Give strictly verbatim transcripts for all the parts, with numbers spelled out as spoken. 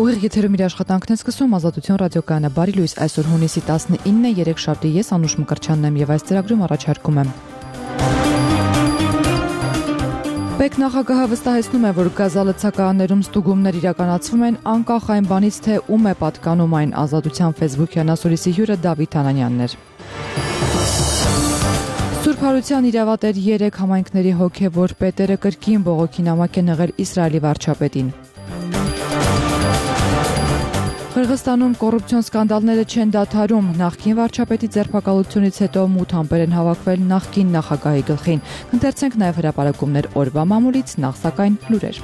Ուղիղ եթերում իր աշխատանքն է սկսում Ազատություն ռադիոկայանը։ Բարի լույս, այսօր հունիսի տասնինն է, երեքշաբթի, ես Անուշ Մկրտչյանն եմ եւ այս ծրագրում առաջարկում եմ։ Պեկ նախագահը վստահեցնում է, որ գազալցակայաններում ստուգումներ իրականացվում են անկախ այն բանից, թե ում է պատկանում այն։ Ազատության Facebook-յան ասորիսի հյուրը Դավիթ Անանյանն էր։ Սուրբ Հարության իրավատեր երեք համայնքների հոգևոր պետերը կրկին բողոքի նամակ են եղել Իսրայելի վարչապետին։ Қырғызստանում կոռուպցիոն սկանդալները չեն դադարում։ Նախկին վարչապետի ձերբակալությունից հետո մութ ամպեր են հավաքվել նախկին նախագահի գլխին։ Կընթերցենք նաև հրապարակումներ օրվա մամուլից, նախ սակայն լուրեր։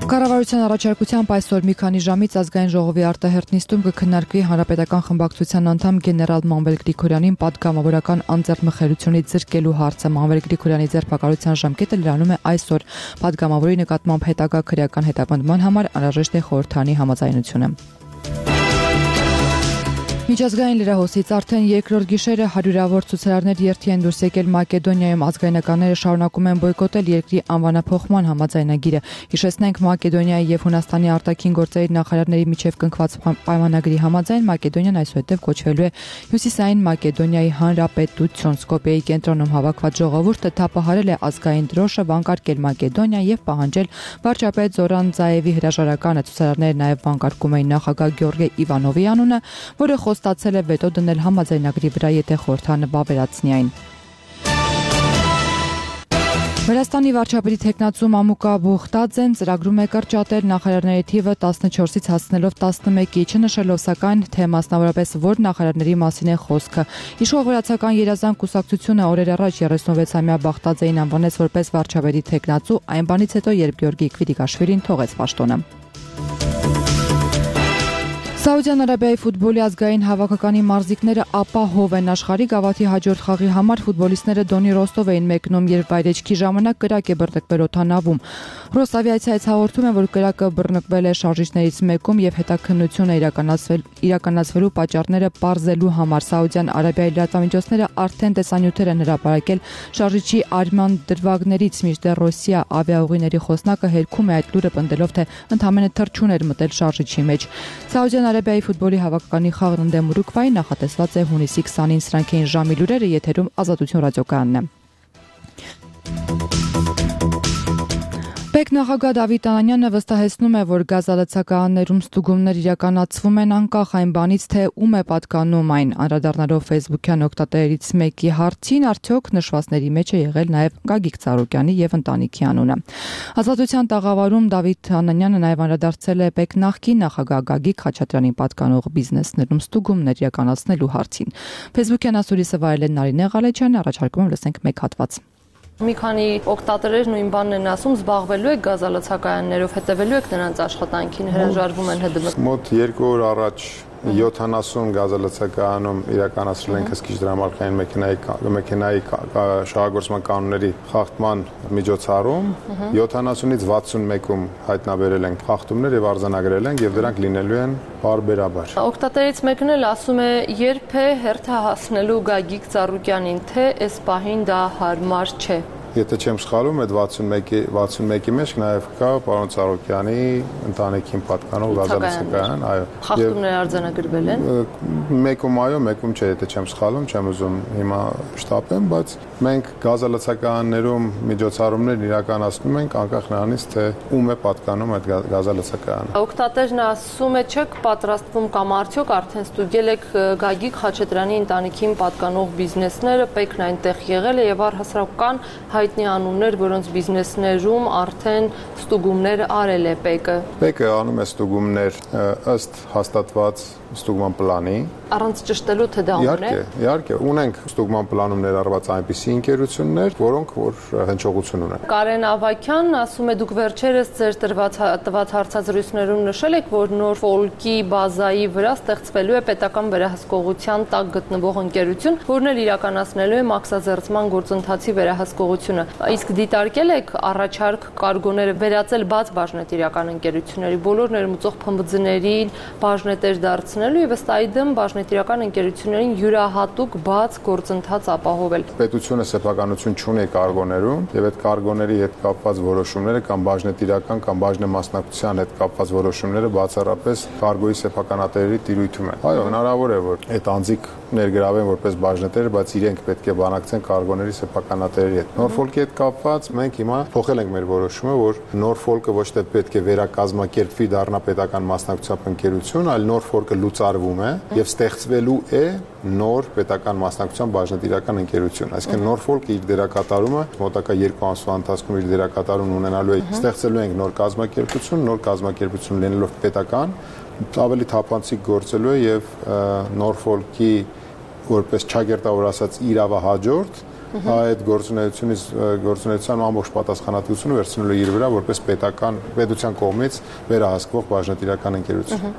Կառավարության առաջարկությամբ այսօր մի քանի ժամից ազգային ժողովի արտահերթ նիստում կքննարկվի հանրապետական խմբակցության անդամ գեներալ Մանվել Գրիգորյանին պատգամավորական անձեռնմխելիությունից զրկելու հարցը։ Մանվել Գրիգորյանի ձերբակալության ժամկետը լրանում է այսօր։ Պատգամավորի նկատմամբ հետագա քրեական հետապնդման համար անհրաժեշտ է խորհրդարանի համաձայնությունը։ Միջազգային լրահոսից արդեն երկրորդ գիշերը հարյուրավոր ցուցարարներ երթի են դուրս եկել Մակեդոնիայում։ Ազգայնականները շարունակում են բոյկոտել երկրի անվանափոխման համաձայնագիրը։ Հիշեցնենք, Մակեդոնիայի եւ Հունաստանի արտաքին գործերի նախարարների միջև կնքված պայմանագրի համաձայն Մակեդոնիան այսուհետև կոչվելու է Հյուսիսային Մակեդոնիայի Հանրապետություն։ Սկոպիեի կենտրոնում հավաքված ժողովուրդը թափահարել է ազգային դրոշը, վանկարկել Մակեդոնիա եւ պահանջել վարչապետ Զորան Զաևի հրաժարականը։ Ցուցարարները նաեւ վանկարկում էին նախագահ Գյորգե Իվանովի անունը, որը ստացել է վետո դնել համաձայնագրի վրա, եթե խորհրդարանը բավարարեցնի այն։ Վրաստանի վարչապետի թեկնածու Մամուկա Բուխտաձեն ծրագրում է կրճատել նախարարների թիվը տասնչորսից հասցնելով տասնմեկի, չնշելով սակայն, թե մասնավորապես որ նախարարների մասին է խոսքը։ Իշխող վրացական երազանք կուսակցությունը օրեր առաջ երեսունվեցամյա Բախտաձեին անվանեց որպես վարչապետի թեկնածու, այն բանից հետո, երբ Գյորգի Քվիդիկաշվիլին թողեց պաշտոնը։ Սաուդյան Արաբիայի ֆուտբոլի ազգային հավաքականի մարզիկները ապահով են աշխարհի գավաթի հաջորդ խաղի համար ֆուտբոլիստները Դոնի Ռոստով էին մեկնում, երբ վայրեջքի ժամանակ կրակ է բռնկվել օդանավում։ Ռոսավիացիայից հաղորդում են, որ կրակը բռնկվել է շարժիչներից մեկում եւ հետաքննություն է իրականացվել իրականացվելու պատճառները պարզելու համար։ Սաուդյան Արաբիայի լրատվամիջոցները արդեն տեսանյութեր են հրապարակել շարժիչի արման դրվագներից, մինչդեռ Ռոսիա ավիաուղիների խոսնակը հերքում է այդ լուրը, պնդելով, թե ընդամենը թռչուն էր մտել շարժիչի մեջ։ Սաուդյան Արաբիայի ֆուտբոլի հավաքականի խաղն ընդդեմ Ուրուգվայի նախատեսված է հունիսի քսանին։ Սրանք էին ժամի լուրերը, եթերում Ազատություն ռադիոկայանն է։ Պեկ նախագահ Դավիթ Անանյանը վստահեցնում է, որ գազալցակայաններում ստուգումներ իրականացվում են անկախ այն բանից, թե ում է պատկանում այն։ Անդրադառնալով Facebook-յան օգտատերերից մեկի հարցին, արդյոք նշվածների մեջ է եղել նաև Գագիկ Ծառուկյանի եւ ընտանիքի անունը։ Ազատության տաղավարում Դավիթ Անանյանը նաև անդրադարձել է Պեկ նախկին նախագահ Գագիկ Խաչատրյանին պատկանող բիզնեսներում ստուգումներ իրականացնելու հարցին։ Facebook-յան ասորիսը վայելել Նարինե Ղալեջյանը, առաջարկում եմ լսենք մեկ հատված։ Մի քանի օգտատերեր նույն բանն են ասում, զբաղվելու եք գազալցակայաններով, հետևելու եք նրանց աշխատանքին, հրաժարվում են ՀԴՄ։ Մոտ երկու օր առաջ յոթանասուն գազալցակայանում իրականացրել ենք հսկիչ դրամարկային մեքենայի մեքենայի շահագործման կանոնների խախտման միջոցառում, յոթանասունից վաթսունմեկում հայտնաբերել ենք խախտումներ եւ արձանագրել ենք եւ դրանք լինելու են բարբերաբար։ Օգտատերից մեկն էլ ասում է, երբ է հերթը հասնելու Գագիկ Ծառուկյանին, թե այս պահին դա հարմար չէ։ Եթե չեմ սխալվում, այդ վաթսունմեկի վաթսունմեկի մեջ նաև կա պարոն Ծառուկյանի ընտանիքին պատկանող գազալցակայան, այո։ Խախտումներ արձանագրվել են։ Մեկում այո, մեկում չէ, եթե չեմ սխալվում, չեմ ուզում հիմա շտապեմ, բայց մենք գազալցակայաններում միջոցառումներ իրականացնում ենք անկախ նրանից, թե ում է պատկանում այդ գազալցակայանը։ Օգտատերն ասում է, չեք պատրաստվում կամ արդյոք արդեն ստուգել եք Գագիկ Խաչատրյանի ընտանիքին պատկանող բիզնեսները, Պեկն այնտեղ եղել է եւ առհասարակ կան հայտնի անուններ, որոնց բիզնեսներում արդեն ստուգումներ արել է Պեկը։ Պեկը անում է ստուգումներ ըստ հաստատված ստուգման պլանի։ Առանց ճշտելու, թե դա ունեն։ Իհարկե, իհարկե, ունենք ստուգման պլանում ներառված այնպիսի ընկերություններ, որոնք որ հնչողություն ունեն։ Կարեն Ավագյան ասում է, դուք վերջերս ձեր տված հարցազրույցներում նշել եք, որ նոր ֆոլկի բազայի վրա ստեղծվելու է պետական վերահսկողության տակ գտնվող ընկերություն, որն էլ իրականացնելու է մաքսազերծման գործընթացի վերահսկողությունը։ Իսկ դիտարկել եք առաջարկ կարգոները վերածել բաց բաժնետիրական ընկերությունների, բոլոր ներմուծող փմբձներին բաժնետեր դարձնել վերացնելու եւ ըստ այդմ բաժնետիրական ընկերություններին յուրահատուկ բաց գործընթաց ապահովել։ Պետությունը սեփականություն չունի կարգոներում եւ այդ կարգոների հետ կապված որոշումները կամ բաժնետիրական կամ բաժնեմասնակցության հետ կապված որոշումները բացառապես կարգոյի սեփականատերերի տիրույթում են։ Այո, հնարավոր է, որ այդ անձիկ ներգրավեն որպես բաժնետեր, բայց իրենք պետք է բանակցեն կարգոների սեփականատերերի հետ։ Նորֆոլկի հետ կապված մենք հիմա փոխել ենք մեր որոշումը, որ Նորֆոլկը ոչ թե պետք է վերակազմակերպվի դառնա պետական մասնակցությամբ ընկերություն, այլ Նորֆոլկը լուծարվում է եւ ստեղծվելու է նոր պետական մասնակցությամբ բաժնետիրական ընկերություն։ Այսինքն Նորֆոլկը իր դերակատարումը մոտակա երկու ամսվա ընթացքում իր դերակատարումն ունենալու է։ Ստեղծելու ենք նոր կազմակերպություն, նոր կազմակերպություն լինելով պետական, ավելի թափանցիկ գործելու է եւ Նորֆոլկի որպես ճագերտավոր ասած իրավահաջորդ այդ գործունեությունից գործունեության ամբողջ պատասխանատվությունը վերցնելու իր վրա որպես պետական պետության կողմից վերահսկվող բաժնետիրական ընկերություն։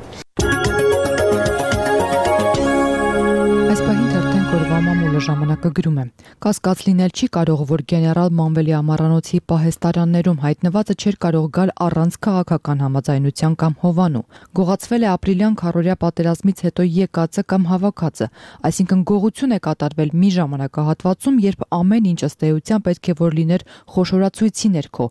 Այս պահին թերթեն կորվա մամուլը ժամանակը գրում է. Կասկած լինել չի կարող, որ գեներալ Մանվելի ամառանոցի պահեստարաններում հայտնվածը չէր կարող գալ առանց քաղաքական համաձայնության կամ հովանու։ Գողացվել է ապրիլյան քառօրյա պատերազմից հետո եկածը կամ հավաքածը, այսինքն գողություն է կատարվել մի ժամանակահատվածում, երբ ամեն ինչ ըստ էության պետք է որ լիներ խոշորացույցի ներքո,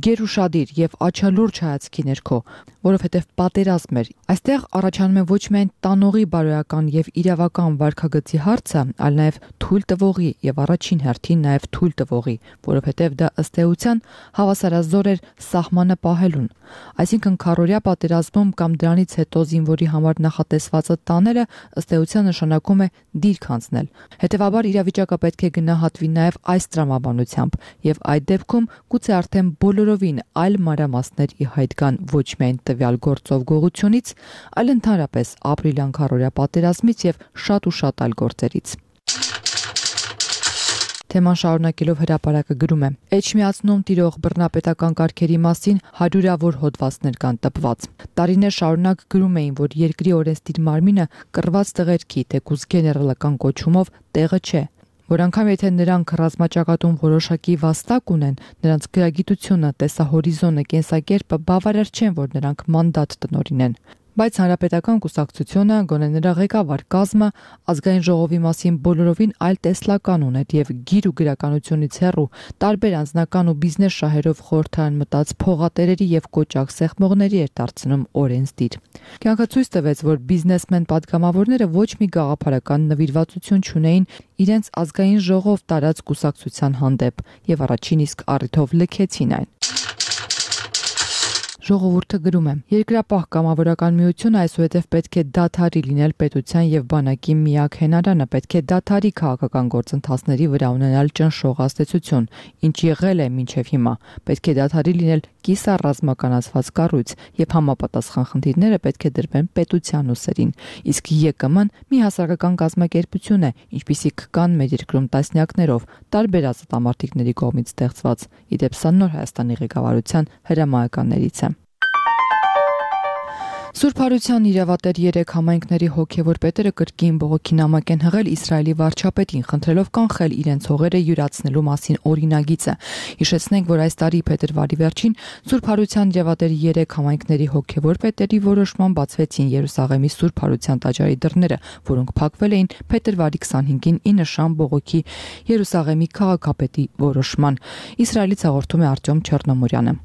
գերուշադիր եւ աչալուրջ հայացքի ներքո, որովհետեւ պատերազմ էր։ Այստեղ առաջանում է ոչ միայն տանողի բարոյական եւ իրավական վարքագծի հարցը, այլ նաեւ թույլ տվողի եւ առաջին հերթին նաեւ թույլ տվողի, որովհետեւ դա ըստ էության հավասարազոր էր սահմանը պահելուն։ Այսինքն քառօրյա պատերազմում կամ դրանից հետո զինվորի համար նախատեսվածը տանելը ըստ էության նշանակում է դիրք հանձնել։ Հետևաբար իրավիճակը պետք է գնահատվի նաեւ այս տրամաբանությամբ եւ այդ դեպքում գուցե արդեն բոլորովին այլ մանրամասներ ի հայտ գան ոչ միայն տվյալ գործով գողությունից, այլ ընդհանրապես ապրիլյան քառօրյա պատերազմից եւ շատ ու շատ այլ գործերից։ Թեման շարունակելով հրապարակը գրում է. Էջմիածնում տիրող բռնապետական կարգերի մասին հարյուրավոր հոդվածներ կան տպված։ Տարիներ շարունակ գրում էին, որ երկրի օրենսդիր մարմինը կռված տղերքի թեկուզ գեներալական կոչումով տեղը չէ, որ անգամ եթե նրանք ռազմաճակատում որոշակի վաստակ ունեն, նրանց գրագիտությունը, տեսահորիզոնը, կենսակերպը բավարար չեն, որ նրանք մանդատ տնօրինեն։ Բայց հանրապետական կուսակցությունը, գոնե նրա ղեկավար կազմը, ազգային ժողովի մասին բոլորովին այլ տեսլական ուներ եւ գիր ու գրականությունից հեռու տարբեր անձնական ու բիզնես շահերով խորհրդարան մտած փողատերերի եւ կոճակ սեղմողների էր դարձնում օրենսդիր։ Կյանքը ցույց տվեց, որ բիզնեսմեն падգամավորները ոչ մի գաղափարական նվիրվածություն չունեին իրենց ազգային ժողով տարած կուսակցության հանդեպ եւ առաջին իսկ առիթով լքեցին այն։ Ժողովուրդը գրում է. Երկրապահ կամավորական միությունը այսուհետև պետք է դադարի լինել պետության եւ բանակի միակ հենարանը, պետք է դադարի քաղաքական գործընթացների վրա ունենալ ճնշող ազդեցություն, ինչ եղել է մինչև հիմա, պետք է դադարի լինել կիսառազմականացված կառույց եւ համապատասխան խնդիրները պետք է դրվեն պետության ուսերին, իսկ ԵԿՄ-ն մի հասարակական կազմակերպություն է, ինչպիսիք կան մեր երկրում տասնյակներով տարբեր ազատամարտիկների կողմից ստեղծված, իդեպ սա նոր Հայաստանի ղեկավարության հրամայականներից է։ Սուրբ Հարության իրավատեր երեք համայնքների հոգևոր պետերը կրկին բողոքի նամակ են հղել Իսրայելի վարչապետին, խնդրելով կանխել իրենց հողերը յուրացնելու մասին օրինագիծը։ Հիշեցնենք, որ այս տարի փետրվարի վերջին Սուրբ Հարության իրավատեր երեք համայնքների հոգևոր պետերի որոշման բացվեցին Երուսաղեմի Սուրբ Հարության տաճարի դռները, որոնք փակվել էին փետրվարի քսանհինգին ի նշան բողոքի Երուսաղեմի քաղաքապետի որոշման։ Իսրայելից հաղորդում է Արտյոմ Չեռնոմորյանը։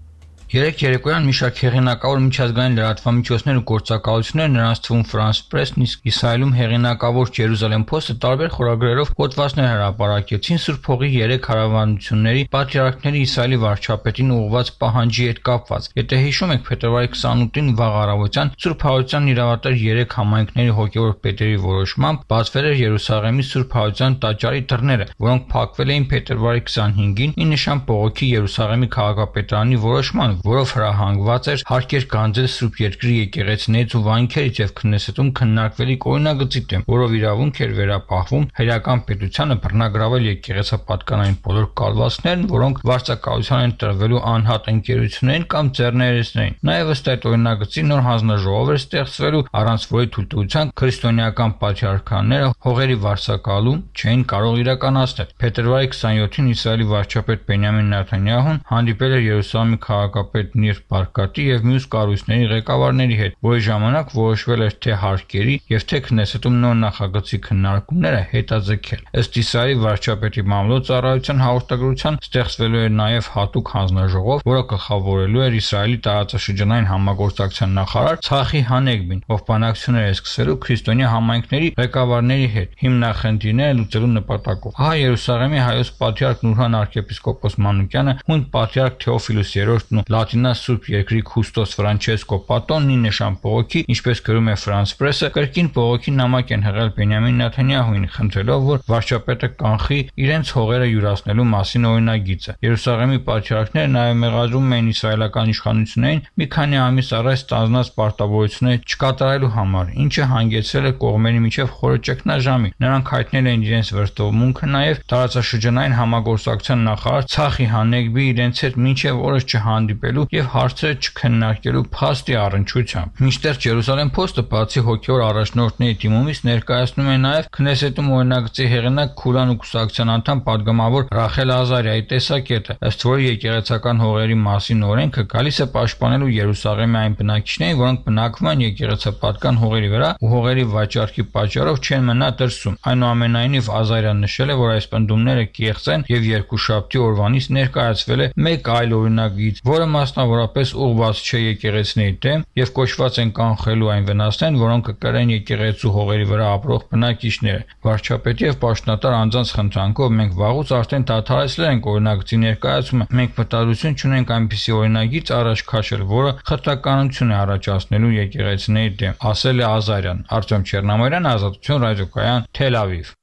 Երեք երեկոյան մի շարք հեղինակավոր միջազգային լրատվամիջոցներ ու գործակալություններ, նրանց թվում France Press-ն, իսկ Իսրայելում հեղինակավոր Jerusalem Post-ը տարբեր խորագրերով հոդվածներ հրապարակեցին Սուրբ Հողի երեք հարավանությունների պատրիարքների Իսրայելի վարչապետին ուղղված պահանջի հետ կապված։ Եթե հիշում եք, փետրվարի քսանութին վաղ առավոտյան Սուրբ Հարության իրավատեր երեք համայնքների հոգևոր պետերի որոշմամբ բացվել էր Երուսաղեմի Սուրբ Հարության տաճարի դռները, որոնք փակվել էին փետրվարի քսանհինգին ի նշան բողոքի Երուսաղեմի քաղաքապետարանի որոշման, որով հրահանգված էր հարկեր գանձել Սուրբ Երկրի եկեղեցիներից ու վանքերից եւ քննեսետում քննարկվելիք օրինագծի դեմ, որով իրավունք էր վերապահվում հայրական պետությանը բռնագրավել եկեղեցապատկանային բոլոր կալվածքներն, որոնք վարձակալության են տրվելու անհատ ընկերություններին կամ ձեռներեցներին։ Նաեւ ըստ այդ օրինագծի նոր հանձնաժողով էր ստեղծվելու, առանց որի թույլտվության քրիստոնեական պատրիարքանները հողերի վարձակալում չէին կարող իրականացնել։ Փետրվարի քսանյոթին Իսրայելի վարչապետ Բենյամին Նեթանյահուն հանդիպել էր Երուսաղեմի քաղաքապետ վարչապետ Նիր Բարկատի եւ մյուս կառույցների ղեկավարների հետ, որի ժամանակ որոշվել էր թե հարկերի եւ թե Քնեսետում նոր նախագծի քննարկումները հետաձգել։ Ըստ Իսայի վարչապետի մամլոյցարայության հաղորդագրության ստեղծվելու էր նաեւ հատուկ հանձնաժողով, որը գլխավորելու էր Իսրայելի տարածաշրջանային համագործակցության նախարար Ցախի Հանեգբին, ով բանակցություններ է սկսելու քրիստոնյա համայնքների ղեկավարների հետ հիմնախնդիրները լուծելու նպատակով։ Ահա Երուսաղեմի հայոց պատրիարք Նուրհան arczepiskopos Մանուկյանը, հույն պատրիարք Թեոֆիլոս երրորդն ու Լատինա Սուրբ Երկրի Քուստոս Ֆրանչեսկո Պատոնն ի նշան բողոքի, ինչպես գրում է France Press-ը, կրկին բողոքի նամակ են հղել Բենյամին Նեթանյահուին, խնդրելով, որ վարչապետը կանխի իրենց հողերը յուրացնելու մասին օրինագիծը։ Երուսաղեմի պատրիարքները նաև մեղադրում էին իսրայելական իշխանություններին մի քանի ամիս առաջ ստանձնած պարտավորությունները չկատարելու համար, ինչը հանգեցրել է կողմերի միջև խորը ճգնաժամի։ Նրանք հայտնել են իրենց վրդովմունքը նաև տարածաշրջանային համագործակցության նախարար Ցախի Հանեգբի իրենց հետ մինչև օրս չհանդիպելու եւ հարցերը չքննարկելու փաստի առնչությամբ։ Մինչդեռ Jerusalem Post-ը բացի հոգեոր առաջնորդների դիմումից ներկայացնում է նաև Քնեսետում օրինագծի հեղինակ Քուլան ու կուսակցության անդամ պատգամավոր Ռախել Ազարիայի տեսակետը, ըստ որի եկեղեցական հողերի մասին օրենքը գալիս է պաշտպանելու Երուսաղեմի այն բնակիչներին, որոնք բնակվում են եկեղեցապատկան հողերի վրա ու հողերի վաճառքի պատճառով չեն մնա դրսում։ Այնուամենայնիվ Ազարյան նշել է, որ այս պնդումները կեղծ են եւ երկուշաբթի օրվանից ներկայացվել է մեկ այլ օրինագիծ, որը մասնավորապես ուղղված չէ եկեղեցիների դեմ եւ կոչված են կանխելու այն վնասներն, որոնք կկրեն եկեղեցու հողերի վրա ապրող բնակիչները։ Վարչապետի եւ պաշտոնատար անձանց խնդրանքով մենք վաղուց արդեն դադարեցրել ենք օրինագծի ներկայացումը։ Մենք մտադրություն չունենք այնպիսի օրինագիծ առաջ քաշել, որը խտրականություն է առաջացնելու եկեղեցիների դեմ, ասել է Ազարյան։ Արտյոմ Չեռնամարյան, Ազատություն ռադիոկայան, Թել Ավիվ։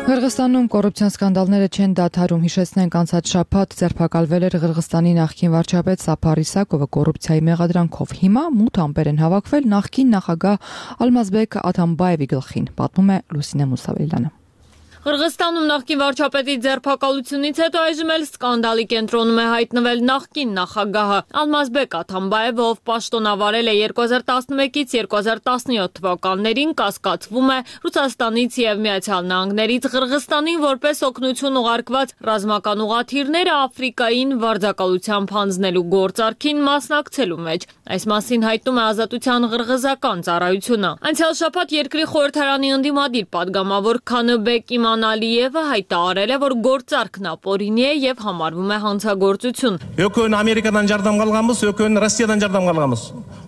Ղրղստանում կոռուպցիոն սկանդալները չեն դադարում, հիշեցնենք անցած շաբաթ ձերբակալվել էր Ղրղստանի նախկին վարչապետ Սափար Իսակովը կոռուպցիայի մեղադրանքով։ Հիմա մութ ամպեր են հավաքվել նախկին նախագահ Ալմազբեկ Աթամբաևի գլխին, պատմում է Լուսինե Մուսավելյանը։ Ղրղստանում նախկին վարչապետի ձերբակալությունից հետո այժմ էլ սկանդալի կենտրոնում է հայտնվել նախկին նախագահը Ալմազբեկ Աթամբաևը, ով պաշտոնավարել է երկու հազար տասնմեկից երկու հազար տասնյոթ թվականներին, կասկածվում է Ռուսաստանից եւ Միացյալ Նահանգներից Ղրղստանին որպես օգնություն ուղարկված ռազմական ուղղաթիռները Աֆրիկային վարձակալությամբ հանձնելու գործարքին մասնակցելու մեջ։ Այս մասին հայտնում է Ազատության ղրղզական ծառայությունը։ Անցյալ շաբաթ երկրի խորհրդարանի ընդդիմադիր падգամավոր Քանըբեկ Իմանալիևը հայտարարել է, որ գործարքն ապօրինի է եւ համարվում է հանցագործություն։ Յոքոն Ամերիկան ջարդամ գալղամս, յոքոն Ռուսիան ջարդամ գալղամս։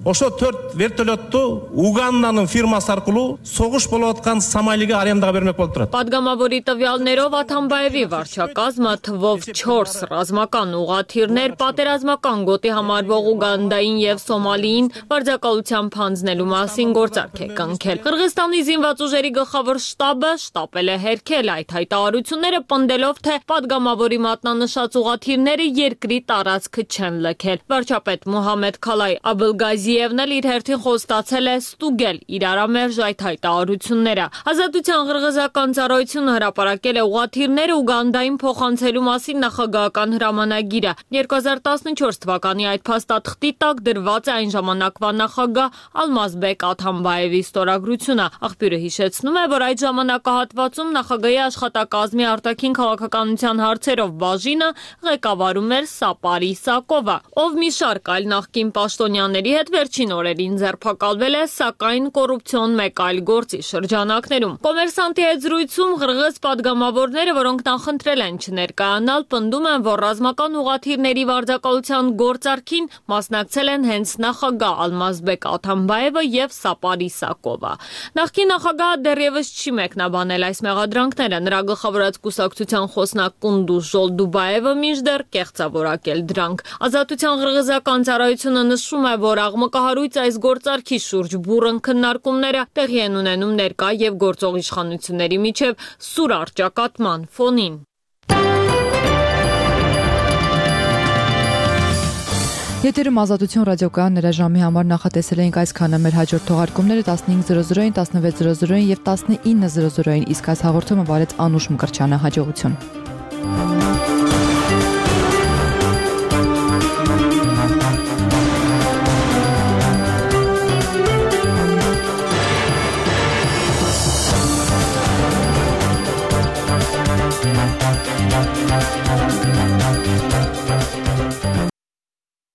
Ոշո төрт վերտոլետը Ուգանդանın ֆիրմасы аркылы соғыш болып atқан Սոմալիге արենдаға бермек болып тұрады։ Падգամավորի տվյալներով Աթամբաևի վարչակազմը թվով չորս ռազմական ուղղաթիռներ պատերազմական գոտի համարվող Ուգանդային եւ Սոմալիին վարձակալությամբ հանձնելու մասին գործարք է կնքել։ Ղրղստանի զինված ուժերի գլխավոր շտաբը շտապել է հերքել այդ հայտարարությունները, պնդելով, թե падգամավորի մատնանշած ուղղաթիռները երկրի տարածքը չեն լքել։ Վարչապետ Մոհամեդ Քալայ Աբլգազիևն էլ իր հերթին խոստացել է ստուգել իրարամերժ այդ հայտարարությունները։ Ազատության ղրղզական ծառայությունը հրապարակել է ուղղաթիռները Ուգանդային փոխանցելու մասին նախագահական հրամանագիրը։ երկու հազար տասնչորս թվականի այդ փաստաթղթի տակ դրված է այն ժամանակվա նախագահ Ալմազբեկ Աթամբաևի ստորագրությունը։ Աղբյուրը հիշեցնում է, որ այդ ժամանակահատվածում նախագահի աշխատակազմի արտաքին քաղաքականության հարցերով բաժինը ղեկավարում էր Սափար Իսակովը, ով մի շարք այլ նախկին պաշտոնյաների հետ վերջին օրերին ձերբակալվել է, սակայն կոռուպցիոն մեկ այլ գործի շրջանակներում։ Կոմերսանտի հետ զրույցում ղրղыз падգամավորները, որոնք նախընտրել են չներկայանալ, պնդում են, որ ռազմական ուղղաթիռների վարձակալության գործարքին մասնակցել են հենց նախագահ Ալմազբեկ Աթամբաևը եւ Սափար Իսակովը։ Նախկին նախագահը դեռևս չի մեկնաբանել այս մեղադրանքները, նրա գլխավորած կուսակցության խոսնակ Կունդուզ Ժոլդուբաևը մինչդեռ կեղծավորակել դրանք։ Ազատության ղրղզական ծառայությունը նշում է, որ աղմկահարույց այս գործարքի շուրջ բուռն քննարկումները տեղի են ունենում ներկա եւ գործող իշխանությունների միջև սուր առճակատման ֆոնին։ Եթերում Ազատություն ռադիոկայան նրա ժամի համար նախատեսել էինք այսքանը, մեր հաջորդ թողարկումները տասնհինգ զրո զրոին, տասնվեց զրո զրոին եւ տասնինը զրո զրոին, իսկ այս հաղորդումը վարեց Անուշ Մկրտչյանը։ Հաջողություն։